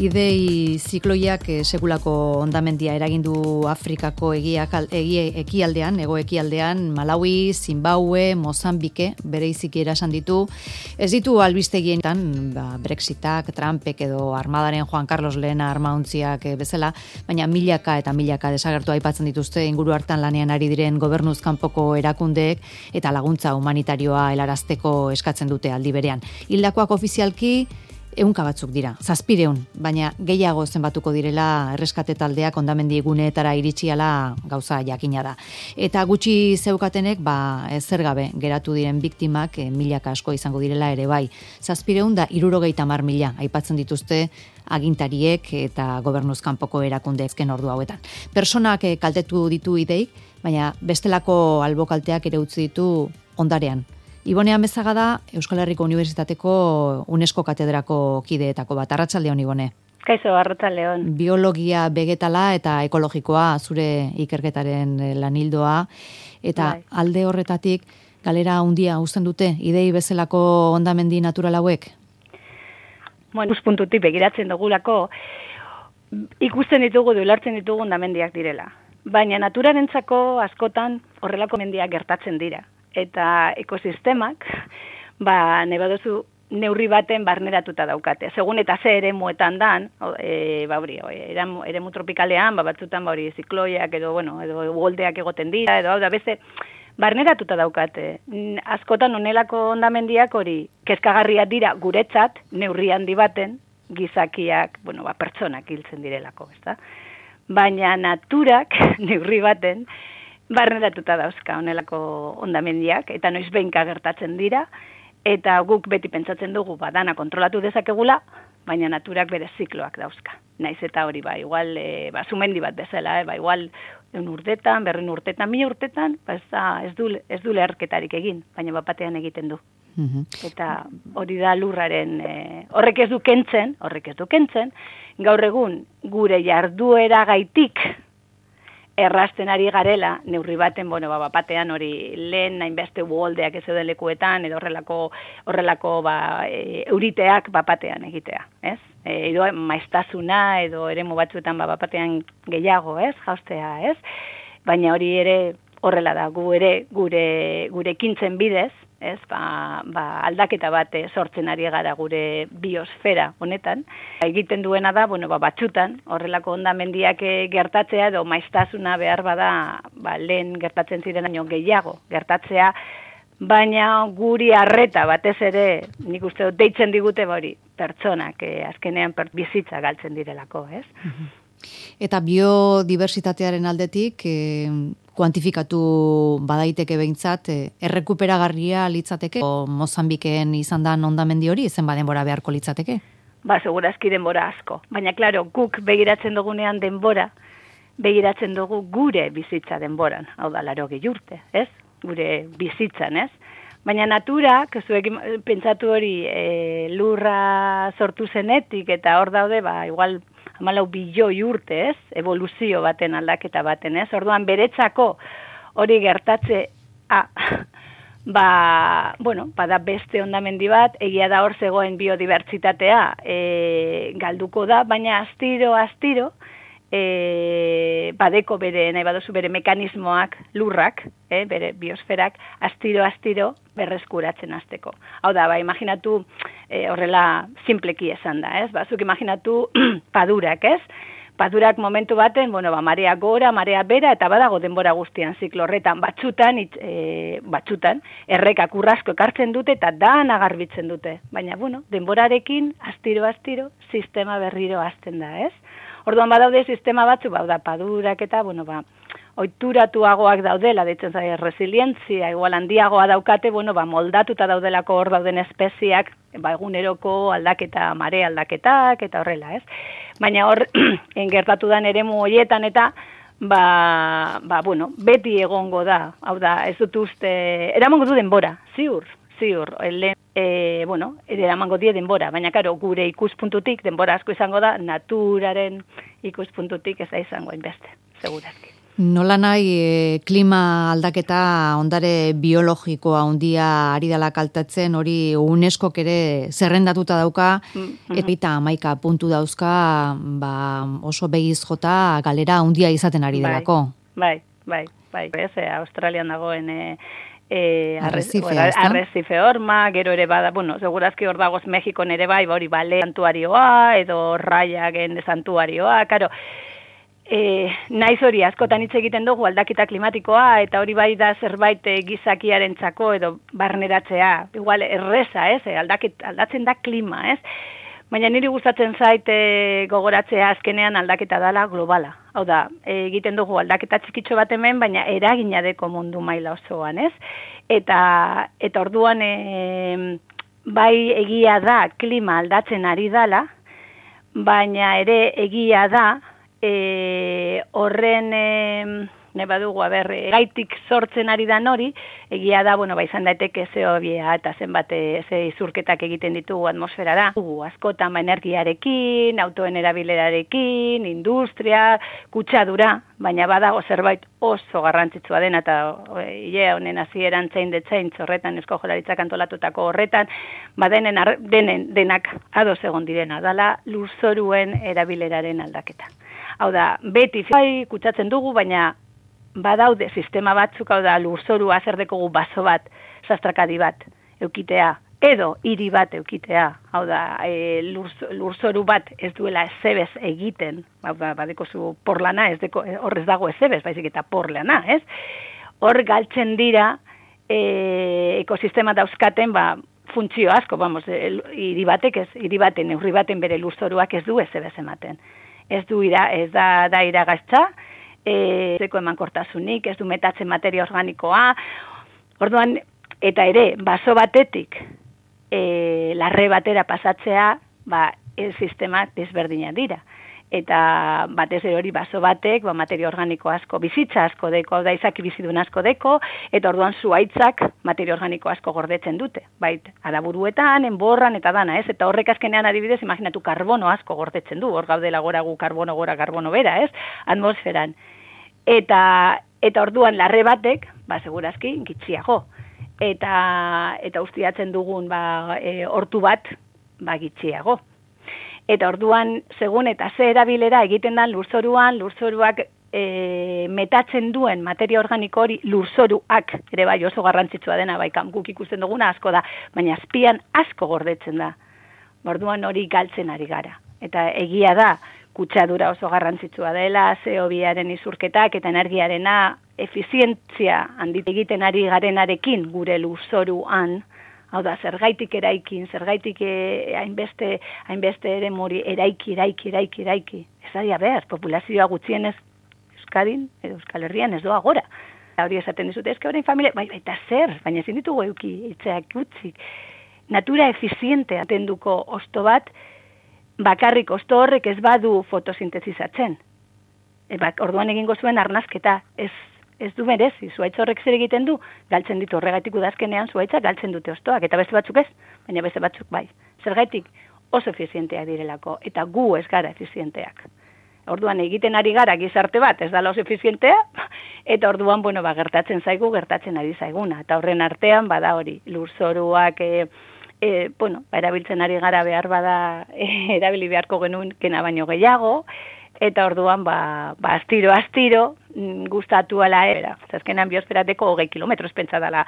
Idei zikloiak sekulako hondamendia eragindu Afrikako ekialdean, hego-ekialdean, Malawi, Zimbabue, Mozambike, bereiziki erasan ditu. Ez ditu albistegietan, Brexitak, Trumpek edo armadaren Juan Carlos Lehena armauntziak bezala, baina milaka eta milaka desagertu aipatzen dituzte inguru hartan lanean ari diren gobernuz kanpoko erakundeek eta laguntza humanitarioa helarazteko eskatzen dute aldi berean. Hildakoak ofizialki 100 batzuk dira, 700, baina gehiago zenbatuko direla erreskate taldeak hondamendi guneetara iritsiala gauza jakina da. Eta gutxi zeukatenek, zer gabe geratu diren biktimak milaka asko izango direla ere bai. 700 da 70.000 aipatzen dituzte agintariek eta gobernuz kanpoko erakundeezken ordu hauetan. Personak kaltetu ditu ideik, baina bestelako albokalteak ere utzi ditu ondarean. Ibone Amezaga da Euskal Herriko Unibertsitateko UNESCO katedrako kideetako bat. Arratsaldeon, Ibone. Kaixo, arratsaldeon. Biologia vegetala eta ekologikoa zure ikerketaren lanildoa eta alde horretatik galera handia uzten dute idei bezalako hondamendi natural hauek. Ikuspuntutik begiratzen dugulako ikusten ditugu, ulertzen ditugu hondamendiak direla. Baina naturarentzako askotan horrelako mendiak gertatzen dira. Eta ekosistemak, nahi baduzu neurri baten barneratuta daukate. Segun eta ze eremuetan dan, eremu tropikalean, batzutan zikloiak edo uholdeak egoten dira, edo beste barneratuta daukate. Askotan honelako hondamendiak hori kezkagarriak dira guretzat, neurri handi baten, gizakiak, pertsonak hiltzen direlako, ezta? Baina naturak neurri baten barneratuta dauzka honelako hondamendiak, eta noiz behinka gertatzen dira, eta guk beti pentsatzen dugu dana kontrolatu dezakegula, baina naturak bere zikloak dauzka. Naiz eta hori igual sumendi bat bezala, igual 100 urtetan, 200 urtetan, 1000 urtetan, ez du leherketarik egin, baina batean egiten du. Eta hori da lurraren, horrek ez du kentzen, gaur egun gure jarduera gaitik, errasten ari garela, neurri baten, batean hori lehen hainbeste uholdeak ez zeuden lekuetan, edo horrelako euriteak batean egitea, ez? Edo maiztasuna, edo eremu batzuetan batean gehiago, ez? Jaustea, ez? Baina hori ere horrela da, gure ekintzen bidez, ez, aldaketa bat sortzen ari gara gure biosfera honetan. Egiten duena da, batzutan, horrelako hondamendiak gertatzea edo maiztasuna behar bada, lehen gertatzen ziren baino gehiago gertatzea, baina guri arreta batez ere, nik uste dut deitzen digute pertsonak, azkenean bizitza galtzen direlako, ez? Eta biodiversitatearen aldetik, kuantifikatu badaiteke behintzat, errekuperagarria litzateke, Mozambikeen izan da hondamendi hori, zen denbora beharko litzateke? Segurazki denbora asko. Baina, klaro, guk begiratzen dugunean denbora, begiratzen dugu gure bizitza denboran, hau da, 80 urte, ez? Gure bizitzan, ez? Baina naturak, zuek pentsatu hori lurra sortu zenetik, eta hor daude, igual 14 bilioi urte, ez? Evoluzio baten, aldaketa baten, ez? Orduan beretzako hori gertatze, bada beste hondamendi bat, egia da hor zegoen biodibertsitatea galduko da, baina astiro, badeko bere, nahi baduzu bere mekanismoak, lurrak, bere biosferak, astiro berreskuratzen hasteko. Hau da, imaginatu horrela simpleki esan da, ez? Zuk imaginatu padurak, ez? Padurak momentu baten, marea gora, marea bera, eta badago denbora guztian ziklo horretan, batzutan, errekak urrasko ekartzen dute, eta dana garbitzen dute. Baina, denborarekin, astiro, sistema berriro hasten da, ez? Orduan badaude sistema batzu, padurak eta, ohituratuagoak daudela, deitzen zaio resilientzia, igual handiagoa daukate, moldatuta daudelako hor dauden espeziak, eguneroko aldaketa, mare aldaketak, eta horrela, ez? Baina hor, gertatu dan eremu horietan eta, beti egongo da, hau da, ez dut uste, eramango du denbora, ziur, eramango die denbora, baina karo, gure ikuspuntutik, denbora asko izango da, naturaren ikuspuntutik ez da izango hainbeste, segurazki. Nola nahi klima aldaketa ondare biologikoa handia ari dela kaltatzen, hori UNESCOk ere zerrendatuta dauka, eta 11 puntu dauzka oso begiz jota galera handia izaten ari delako. Bai. Australian dagoen arrezife horma, gero ere bada, segurazki hor dagoz Mexikon ere bai, hori bale santuarioa, edo raiagen santuarioa, karo, naiz hori askotan hitz egiten dugu aldaketa klimatikoa, eta hori bai da zerbait gizakiarentzako edo barneratzea, igual erreza, aldatzen da klima, Baina niri gustatzen zait gogoratzea azkenean aldaketa dela globala. Hau da, egiten dugu aldaketa txikitxo bat hemen, baina eragina deko mundu maila osoan, Eta orduan bai egia da klima aldatzen ari dela, baina ere egia da horren badugu, gaitik sortzen ari dan hori, egia da, izan daiteke zeobia eta zenbat izurketak egiten ditugu atmosferara. Askotan energiarekin, autoen erabilerarekin, industria, kutsadura, baina badago zerbait oso garrantzitsua dena, eta honen hasieran zein horretan, Eusko Jaurlaritzak antolatutako horretan, denak ados egon direna, dala lurzoruen erabileraren aldaketa. Hau da, beti kutsatzen dugu, baina badaude sistema batzuk, hau da, lurzorua zer dekogu baso bat, sastrakadi bat, eukitea, edo hiri bat eukitea, hau da, lurzoru bat ez duela ezebez egiten, hau da, badeko zu porlana, horrez dago ezebez, baizik eta porlana, Hor galtzen dira ekosistema dauzkaten, funtzio asko, hiri baten, neurri baten bere lurzoruak ez du ezebez ematen. Ez da iragaztza, zeko emankortasunik, ez du metatzen materia organikoa, orduan, eta ere, baso batetik larre batera pasatzea, sistema desberdinak dira. Eta batez ere hori baso batek, materia organiko asko, bizitza asko deko, da izaki bizidun asko deko, eta orduan zuaitzak materia organiko asko gordetzen dute. Bait, adaburuetan, enborran, eta dana, Eta horrek azkenean adibidez, imaginatu karbono asko gordetzen du, hor gaudela gora gu karbono gora, karbono bera, atmosferan. Eta orduan larre batek, segurazki, gitxiago. Eta ustiatzen dugun, hortu bat, gitxiago. Eta orduan, segun eta ze erabilera egiten dan lurzoruak metatzen duen materia organiko hori lurzoruak, ere bai oso garrantzitsua dena, guk ikusten duguna asko da, baina azpian asko gordetzen da. Orduan hori galtzen ari gara. Eta egia da, kutsadura oso garrantzitsua dela, CO2aren izurketak eta energiarena efizientzia handit egiten ari garenarekin gure lurzoruan, hau da, zergaitik eraikin, zergaitik hainbeste ere mori eraiki. Ez adia behar, populazioa gutxienez Euskadin, edo Euskal Herrian ez doa gora. Hori esaten dizute, horrein familia, baita zer, baina ezin ditugu euki, itzeak gutxik. Natura efiziente atenduko osto bat, bakarrik osto horrek ez badu fotosintezizatzen. Orduan egingo zuen arnazketa, ez du merezi, zuaitz horrek zer egiten du, galtzen ditu horregatik udazkenean zuaitzak galtzen dute ostoak, eta beste batzuk ez, baina beste batzuk bai. Zergaitik oso efizienteak direlako, eta gu ez gara efizienteak. Orduan egiten ari gara gizarte bat, ez dala oso efizientea, eta orduan, gertatzen ari zaiguna, eta horren artean, bada hori, lurzoruak, erabiltzen ari gara behar bada, erabili beharko genuen kena baino gehiago, eta orduan, astiro, gustatu ala, zazkenan biosferateko 20 kilometros pentsa dela,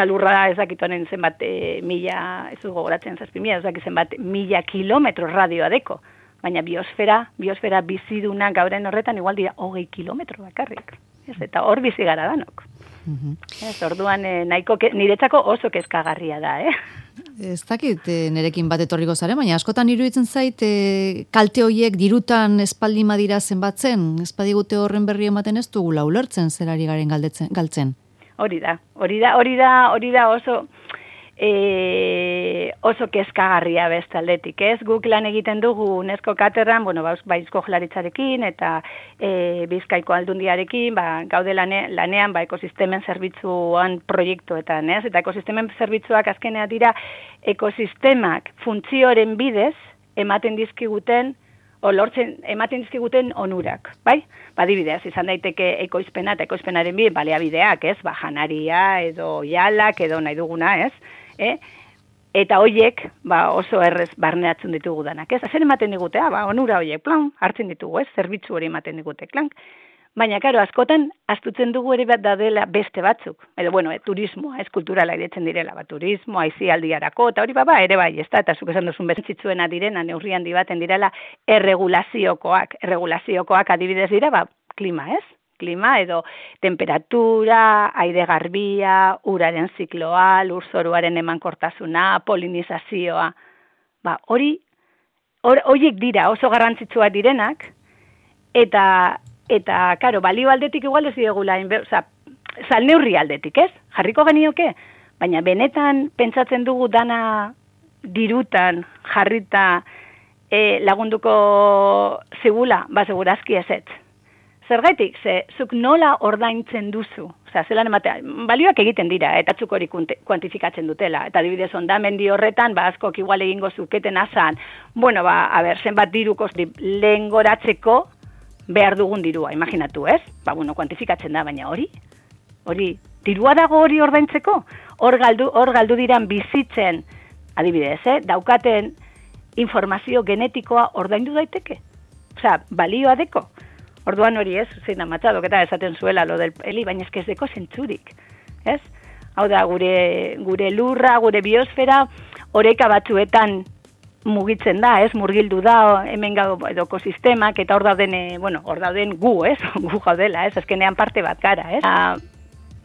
lurra ezakitonen zenbat mila, ez du gogoratzen 7.000, ezakit zenbat mila kilometro radioa deko, baina biosfera biziduna gauren horretan igual dira 20 kilometro bakarrik, eta hor bizi gara danok. Orduan, niretzako oso kezkagarria da, Ez dakit nerekin bat etorriko zaren, baina askotan iruditzen zait kalte horiek dirutan espaldi madira zenbatzen, espadigute horren berri ematen ez dugula ulertzen zerari garen galtzen. Hori da oso kezkagarria bestaldetik, Guk lan egiten dugu UNESCO katerran, Eusko Jaurlaritzarekin eta Bizkaiko Aldundiarekin, gaude lanean ekosistemen zerbitzuan proiektuetan, Eta ekosistemen zerbitzuak azkenea dira ekosistemak funtzioren bidez ematen dizkiguten lortzen ematen dizkiguten onurak, bai? Adibidez, izan daiteke ekoizpena eta ekoizpenaren baliabideak, ez? Janaria edo jalak edo nahi duguna, ez? Eta hoiek, oso errez barneatzen ditugu danak, ez? Zer ematen digute, onura hoiek, plan, hartzen ditugu, ez? Zerbitzu hori ematen digute, klank. Baina, karo, askotan, astutzen dugu ere bat dadela beste batzuk. Edo, turismoa, ez kulturala iretzen direla, turismoa, aisialdiarako, eta hori ere bai, ez da, eta zuk esan duzun bezentzitzuena direna, neurri handi baten direla, erregulaziokoak adibidez dira, klima, ez? Klima edo temperatura, aire garbia, uraren zikloa, lurzoruaren emankortasuna, polinizazioa, horiek dira oso garrantzitsua direnak, eta, karo, balio aldetik igual ez diegula, salneurri aldetik, ez? Jarriko genioke, baina benetan pentsatzen dugu dana dirutan jarrita lagunduko zigula, segurazki ezetz. Zergaitik, zuk nola ordaintzen duzu, zelan ematean, balioak egiten dira, eta zuk hori kuantifikatzen dutela, eta adibidez ondamendi horretan, askok igual egingo zuketen azan, zenbat diruko lehen goratzeko, behar dugun dirua, imaginatu, ez? Kuantifikatzen da, baina hori, dirua dago hori ordaintzeko? Hor galdu diran bizitzen, adibidez, daukaten informazio genetikoa ordaindu daiteke? Balioa deko? Orduan hori ez, zein amatxadok eta esaten zuela lo del heli, baina ez deko zentzurik, ez? Hau da, gure lurra, gure biosfera, oreka batzuetan mugitzen da, ez, murgildu da, hemen edo ekosistemak, eta hor dauden gu, ez, gu gaudela, ez, azkenean parte bat gara, ez.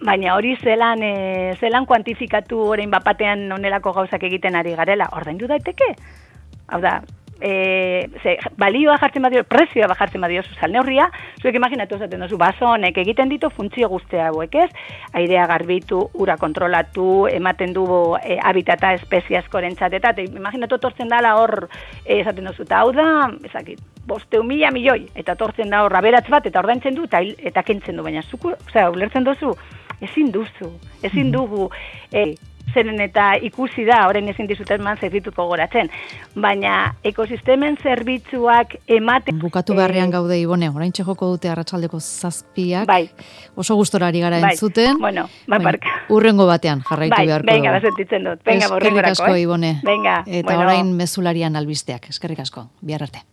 Baina hori zelan kuantifikatu orain bapatean onelako gauzak egiten ari garela, ordaindu daiteke? Hau da, balioa jartzen badio, prezioa jartzen badio salneurria, zuek imaginatu esaten duzu, honek egiten ditu funtzio guztia hauek, ez? Airea garbitu, ura kontrolatu, ematen du habitata espezie askorentzat, eta imaginatu tortzen dala hor, esaten duzu, eta hau da, ezakit, 500.000 milioi, eta tortzen da hor aberatz bat, eta ordaintzen du, eta kentzen du, baina zuku, ulertzen duzu, ezin dugu, zeren eta ikusi da, orain ezin dizuten zerbituko goratzen, baina ekosistemen zerbitzuak ematen... Bukatu beharrean gaude, Ibone, orain txekoko dute arratsaldeko 7:00, oso gustorari gara entzuten, urrengo batean jarraitu beharko. Venga, sentitzen dut, venga, urrengorako. Eskerrik asko, Ibone, Venga, eta orain mezularian albisteak, eskerrik asko, bihar arte.